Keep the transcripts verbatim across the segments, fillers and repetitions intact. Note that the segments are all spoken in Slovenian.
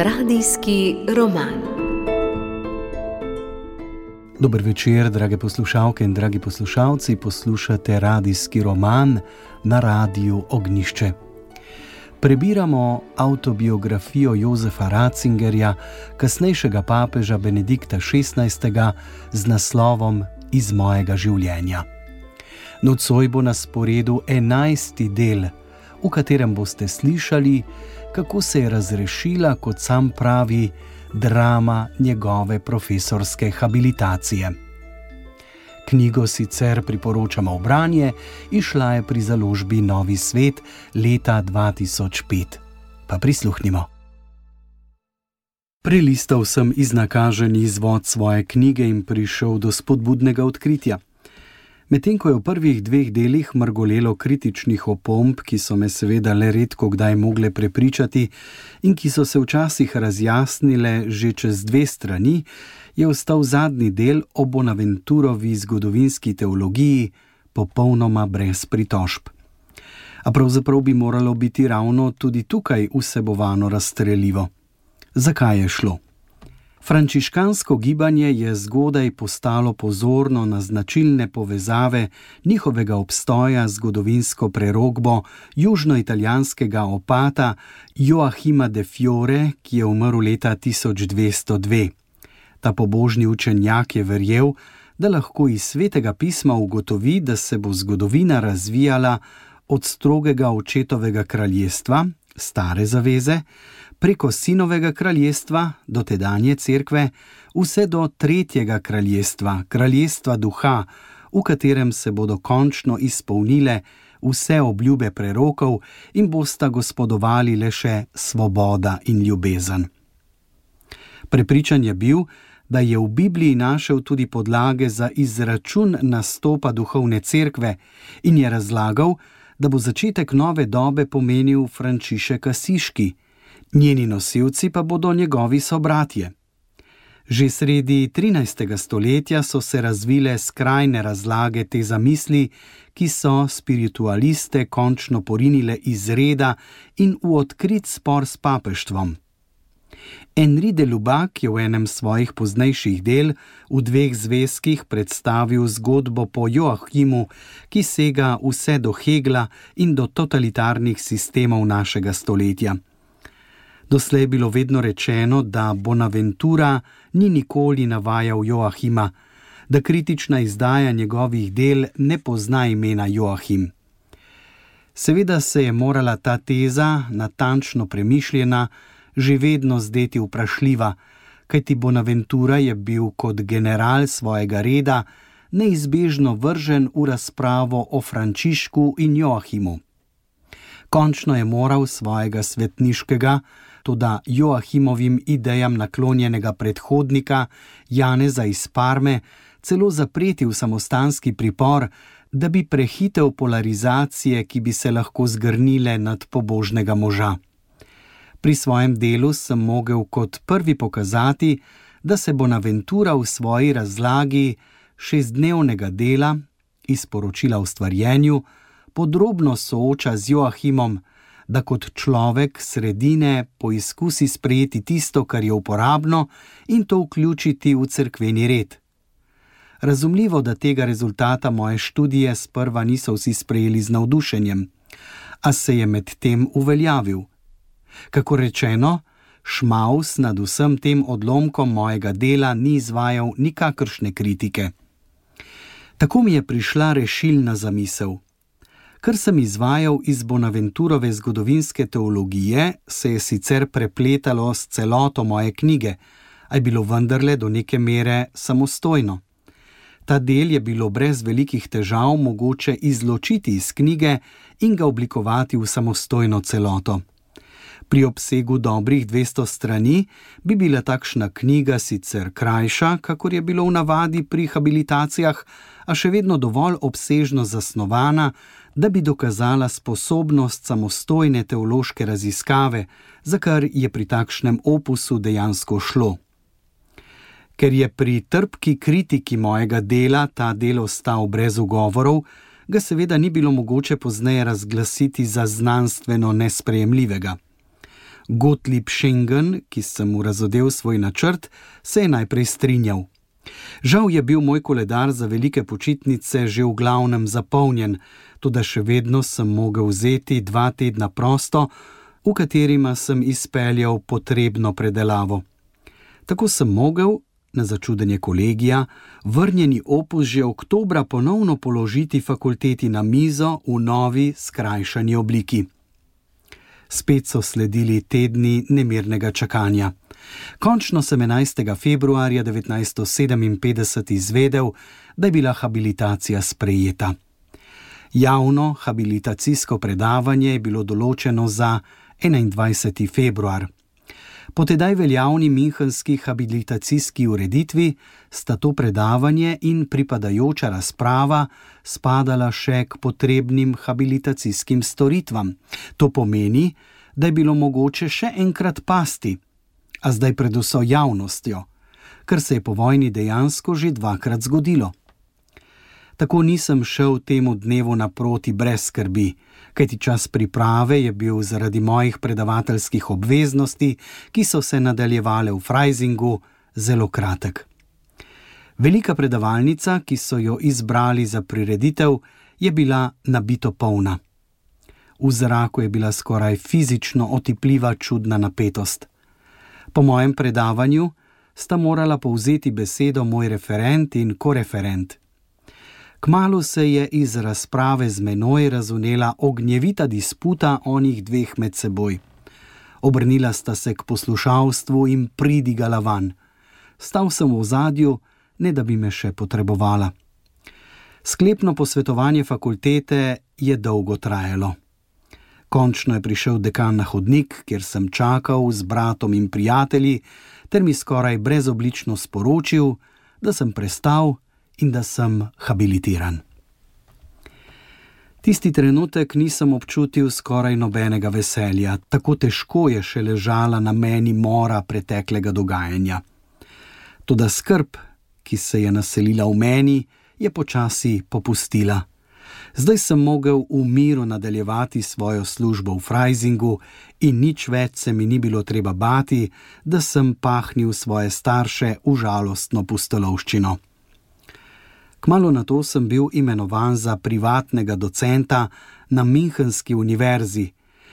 Radijski roman. Dober večer, drage poslušalke in dragi poslušalci, poslušate radijski roman na Radiu Ognjišče. Prebiramo avtobiografijo Josefa Ratzingerja, kasnejšega papeža Benedikta šestnajstega, z naslovom Iz mojega življenja. Nocoj bo na sporedu enajsti del, v katerem boste slišali, kako se je razrešila, kot sam pravi, drama njegove profesorske habilitacije. Knjigo sicer priporočamo v branje, izšla je pri založbi Novi svet leta dva tisoč pet. Pa prisluhnimo. Prelistal sem iznakaženi izvod svoje knjige in prišel do spodbudnega odkritja. Medtem ko je v prvih dveh delih mrgolelo kritičnih opomb, ki so me seveda le redko kdaj mogle prepričati in ki so se včasih razjasnile že čez dve strani, je ostal zadnji del o Bonaventurovi zgodovinski teologiji popolnoma brez pritožb. A pravzaprav bi moralo biti ravno tudi tukaj vsebovano razstrelivo. Zakaj je šlo? Frančiškansko gibanje je zgodaj postalo pozorno na značilne povezave njihovega obstoja z zgodovinsko prerokbo južnoitalijanskega opata Joachima de Fiore, ki je umrl leta tisoč dvesto dve. Ta pobožni učenjak je verjel, da lahko iz svetega pisma ugotovi, da se bo zgodovina razvijala od strogega očetovega kraljestva, stare zaveze, preko sinovega kraljestva, do tedanje cerkve, vse do tretjega kraljestva, kraljestva duha, v katerem se bodo končno izpolnile vse obljube prerokov in bosta gospodovali le še svoboda in ljubezen. Prepričan je bil, da je v Bibliji našel tudi podlage za izračun nastopa duhovne cerkve in je razlagal, da bo začetek nove dobe pomenil Frančišek Asiški, njeni nosilci pa bodo njegovi sobratje. Že sredi trinajstega stoletja so se razvile skrajne razlage te zamisli, ki so spiritualiste končno porinile iz reda in v odkrit spor s papeštvom. Henri de Lubac je v enem svojih poznejših del v dveh zvezkih predstavil zgodbo po Joachimu, ki sega vse do Hegla in do totalitarnih sistemov našega stoletja. Doslej je bilo vedno rečeno, da Bonaventura ni nikoli navajal Joachima, da kritična izdaja njegovih del ne pozna imena Joachim. Seveda se je morala ta teza, natančno premišljena, že vedno zdeti vprašljiva, kajti Bonaventura je bil kot general svojega reda neizbežno vržen v razpravo o Frančišku in Joachimu. Končno je moral svojega svetniškega, toda Joachimovim idejam naklonjenega predhodnika Janeza iz Parme celo zapreti v samostanski pripor, da bi prehitel polarizacije, ki bi se lahko zgrnile nad pobožnega moža. Pri svojem delu sem mogel kot prvi pokazati, da se Bonaventura v svoji razlagi šestdnevnega dela iz poročila o stvarjenju podrobno sooča z Joachimom, da kot človek sredine poizkusi sprejeti tisto, kar je uporabno, in to vključiti v cerkveni red. Razumljivo, da tega rezultata moje študije sprva niso vsi sprejeli z navdušenjem, a se je med tem uveljavil. Kako rečeno, Šmaus nad vsem tem odlomkom mojega dela ni izvajal nikakršne kritike. Tako mi je prišla rešilna zamisel. Kar sem izvajal iz Bonaventurove zgodovinske teologije, se je sicer prepletalo s celoto moje knjige, a je bilo vendarle do neke mere samostojno. Ta del je bilo brez velikih težav mogoče izločiti iz knjige in ga oblikovati v samostojno celoto. Pri obsegu dobrih dvesto strani bi bila takšna knjiga sicer krajša, kakor je bilo v navadi pri habilitacijah, a še vedno dovolj obsežno zasnovana, da bi dokazala sposobnost samostojne teološke raziskave, za kar je pri takšnem opusu dejansko šlo. Ker je pri trpki kritiki mojega dela ta del ostal brez ugovorov, ga seveda ni bilo mogoče pozneje razglasiti za znanstveno nesprejemljivega. Gottlieb Schengen, ki sem mu razodel svoj načrt, se je najprej strinjal. Žal je bil moj koledar za velike počitnice že v glavnem zapolnjen, toda še vedno sem mogel vzeti dva tedna prosto, v katerima sem izpeljal potrebno predelavo. Tako sem mogel, na začudenje kolegija, vrnjeni opus že oktobra ponovno položiti fakulteti na mizo v novi skrajšani obliki. Spet so sledili tedni nemirnega čakanja. Končno sem enajstega februarja devetnajststo sedeminpetdeset izvedel, da je bila habilitacija sprejeta. Javno habilitacijsko predavanje je bilo določeno za enaindvajseti februar. Po tedaj veljavni münchenski habilitacijski ureditvi sta to predavanje in pripadajoča razprava spadala še k potrebnim habilitacijskim storitvam. To pomeni, da je bilo mogoče še enkrat pasti, a zdaj pred vso javnostjo, kar se je po vojni dejansko že dvakrat zgodilo. Tako nisem šel temu dnevu naproti brez skrbi, kajti čas priprave je bil zaradi mojih predavateljskih obveznosti, ki so se nadaljevale v Freisingu, zelo kratek. Velika predavalnica, ki so jo izbrali za prireditev, je bila nabito polna. V zraku je bila skoraj fizično otipljiva čudna napetost. Po mojem predavanju sta morala povzeti besedo moj referent in koreferent. Kmalu se je iz razprave z menoj razvnela ognjevita disputa onih dveh med seboj. Obrnila sta se k poslušalstvu in pridigala van. Stal sem v ozadju, ne da bi me še potrebovala. Sklepno posvetovanje fakultete je dolgo trajalo. Končno je prišel dekan na hodnik, kjer sem čakal z bratom in prijatelji, ter mi skoraj brezoblično sporočil, da sem prestal in da sem habilitiran. Tisti trenutek nisem občutil skoraj nobenega veselja, tako težko je še ležala na meni mora preteklega dogajanja. Toda skrb, ki se je naselila v meni, je počasi popustila. Zdaj sem mogel v miru nadaljevati svojo službo v Freisingu in nič več se mi ni bilo treba bati, da sem pahnil svoje starše v žalostno pustolovščino. Kmalu nato sem bil imenovan za privatnega docenta na Münchenski univerzi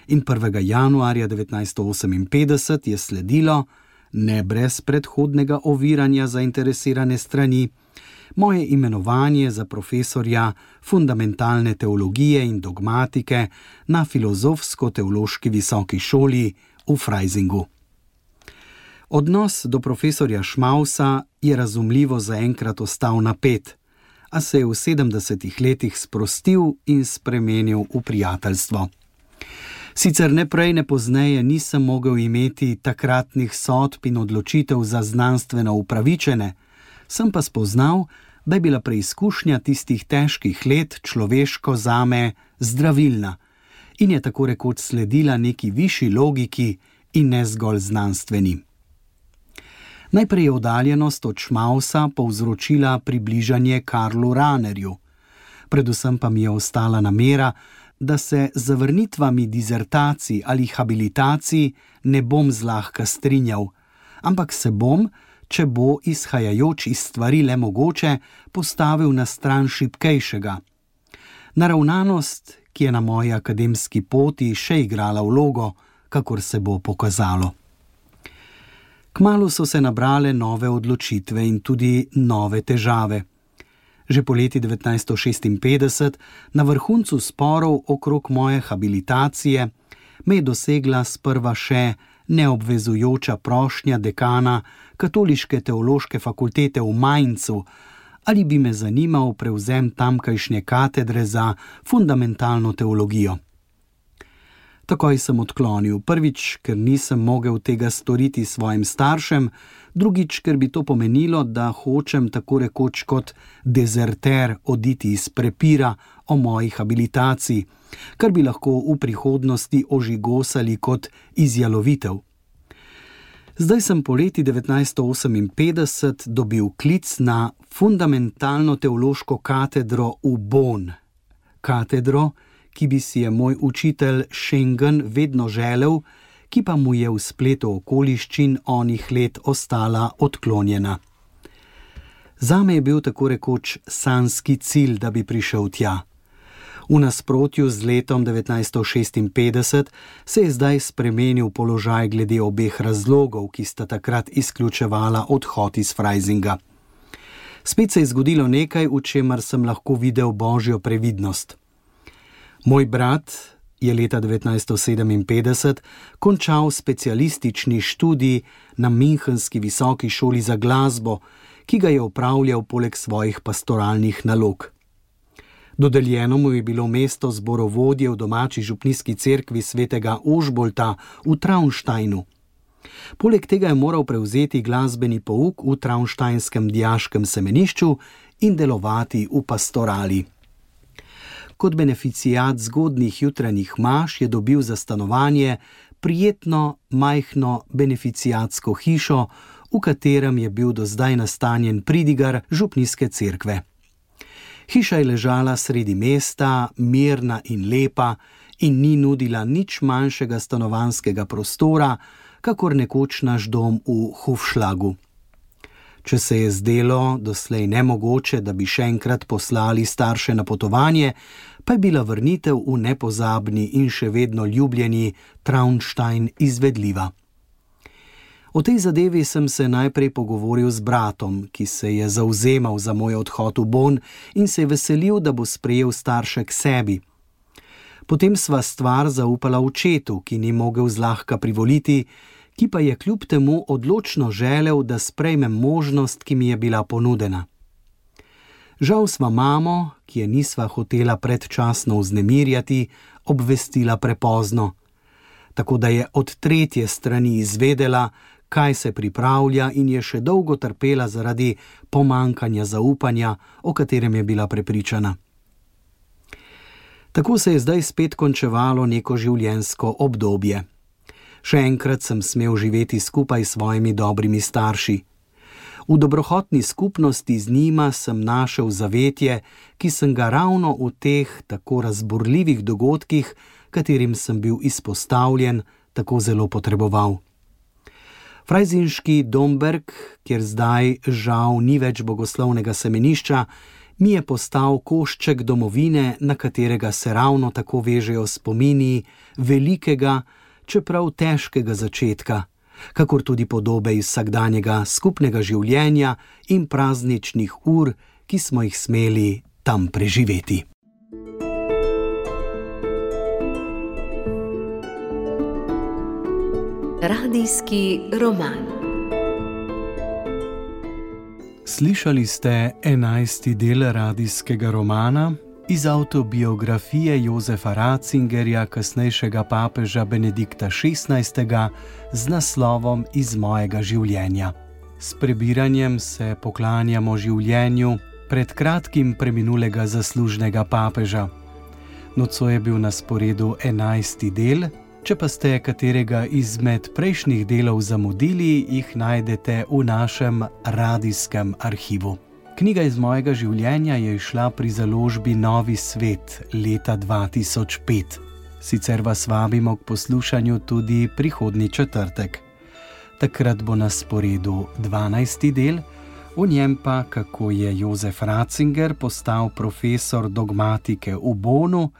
in prvega januarja devetnajststo oseminpetdeset je sledilo, ne brez predhodnega oviranja zainteresirane strani, moje imenovanje za profesorja fundamentalne teologije in dogmatike na Filozofsko-teološki visoki šoli v Freisingu. Odnos do profesorja Schmausa je razumljivo zaenkrat ostal napet, a se je v sedemdesetih letih sprostil in spremenil v prijateljstvo. Sicer ne prej ne pozneje nisem mogel imeti takratnih sodb in odločitev za znanstveno upravičene, sem pa spoznal, da je bila preizkušnja tistih težkih let človeško zame zdravilna in je tako rekoč sledila neki višji logiki in ne zgolj znanstveni. Najprej je oddaljenost od Schmausa povzročila približanje Karlu Rahnerju. Predvsem pa mi je ostala namera, da se z zavrnitvami dizertacij ali habilitacij ne bom zlahka strinjal, ampak se bom, če bo izhajajoč iz stvari le mogoče, postavil na stran šibkejšega. Naravnanost, ki je na moji akademski poti še igrala vlogo, kakor se bo pokazalo. Kmalu so se nabrale nove odločitve in tudi nove težave. Že poleti devetnajststo šestinpetdeset, na vrhuncu sporov okrog moje habilitacije, me je dosegla sprva še neobvezujoča prošnja dekana Katoliške teološke fakultete v Mainzu, ali bi me zanimal prevzem tamkajšnje katedre za fundamentalno teologijo. Takoj sem odklonil, prvič, ker nisem mogel tega storiti svojim staršem, drugič, ker bi to pomenilo, da hočem tako rekoč kot dezerter oditi iz prepira o moji habilitaciji, kar bi lahko v prihodnosti ožigosali kot izjalovitev. Zdaj sem poleti devetnajststo oseminpetdeset dobil klic na fundamentalno teološko katedro v Bonn. Katedro, ki bi si je moj učitelj Schengen vedno želel, ki pa mu je v spletu okoliščin onih let ostala odklonjena. Zame je bil tako rekoč sanjski cilj, da bi prišel tja. V nasprotju z letom devetnajststo šestinpetdeset se je zdaj spremenil položaj glede obeh razlogov, ki sta takrat izključevala odhod iz Freisinga. Spet se je zgodilo nekaj, v čemer sem lahko videl božjo previdnost. Moj brat je leta devetnajststo sedeminpetdeset končal specialistični študij na Münchenski visoki šoli za glasbo, ki ga je opravljal poleg svojih pastoralnih nalog. Dodeljeno mu je bilo mesto zborovodje v domači župnijski cerkvi svetega Ožbolta v Traunsteinu. Poleg tega je moral prevzeti glasbeni pouk v traunsteinskem dijaškem semenišču in delovati v pastorali. Kot beneficijat zgodnjih jutranjih maš je dobil za stanovanje prijetno, majhno beneficijatsko hišo, v katerem je bil do zdaj nastanjen pridigar župnijske cerkve. Hiša je ležala sredi mesta, mirna in lepa in ni nudila nič manjšega stanovanjskega prostora, kakor nekoč naš dom v Hufschlagu. Če se je zdelo doslej nemogoče, da bi še enkrat poslali starše na potovanje, pa je bila vrnitev v nepozabni in še vedno ljubljeni Traunstein izvedljiva. O tej zadevi sem se najprej pogovoril z bratom, ki se je zavzemal za moj odhod v Bonn in se je veselil, da bo sprejel starše k sebi. Potem sva stvar zaupala očetu, ki ni mogel zlahka privoliti, ki pa je kljub temu odločno želel, da sprejmem možnost, ki mi je bila ponudena. Žal sva mamo, ki je nisva hotela predčasno vznemirjati, obvestila prepozno, tako da je od tretje strani izvedela, kaj se pripravlja in je še dolgo trpela zaradi pomankanja zaupanja, o katerem je bila prepričana. Tako se je zdaj spet končevalo neko življenjsko obdobje. Še enkrat sem smel živeti skupaj s svojimi dobrimi starši. V dobrohotni skupnosti z njima sem našel zavetje, ki sem ga ravno v teh tako razburljivih dogodkih, katerim sem bil izpostavljen, tako zelo potreboval. Freisinški Domberg, kjer zdaj žal ni več bogoslovnega semenišča, mi je postal košček domovine, na katerega se ravno tako vežejo spomini velikega, čeprav težkega začetka, kakor tudi podobe iz vsakdanjega skupnega življenja in prazničnih ur, ki smo jih smeli tam preživeti. Radijski roman. Slišali ste enajsti del radijskega romana iz avtobiografije Josefa Ratzingerja, kasnejšega papeža Benedikta šestnajstega, z naslovom Iz mojega življenja. S prebiranjem se poklanjamo življenju pred kratkim preminulega zaslužnega papeža. Nocoj je bil na sporedu enajsti del, če pa ste katerega izmed prejšnjih delov zamudili, jih najdete v našem radijskem arhivu. Knjiga Iz mojega življenja je izšla pri založbi Novi svet leta dva tisoč pet. Sicer vas vabimo k poslušanju tudi prihodnji četrtek. Takrat bo na sporedu dvanajsti del, v njem pa kako je Josef Ratzinger postal profesor dogmatike v Bonnu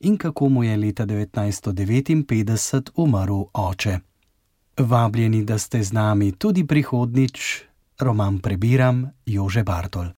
in kako mu je leta devetnajststo devetinpetdeset umrl oče. Vabljeni, da ste z nami tudi prihodnjič. Roman prebiram Jože Bartol.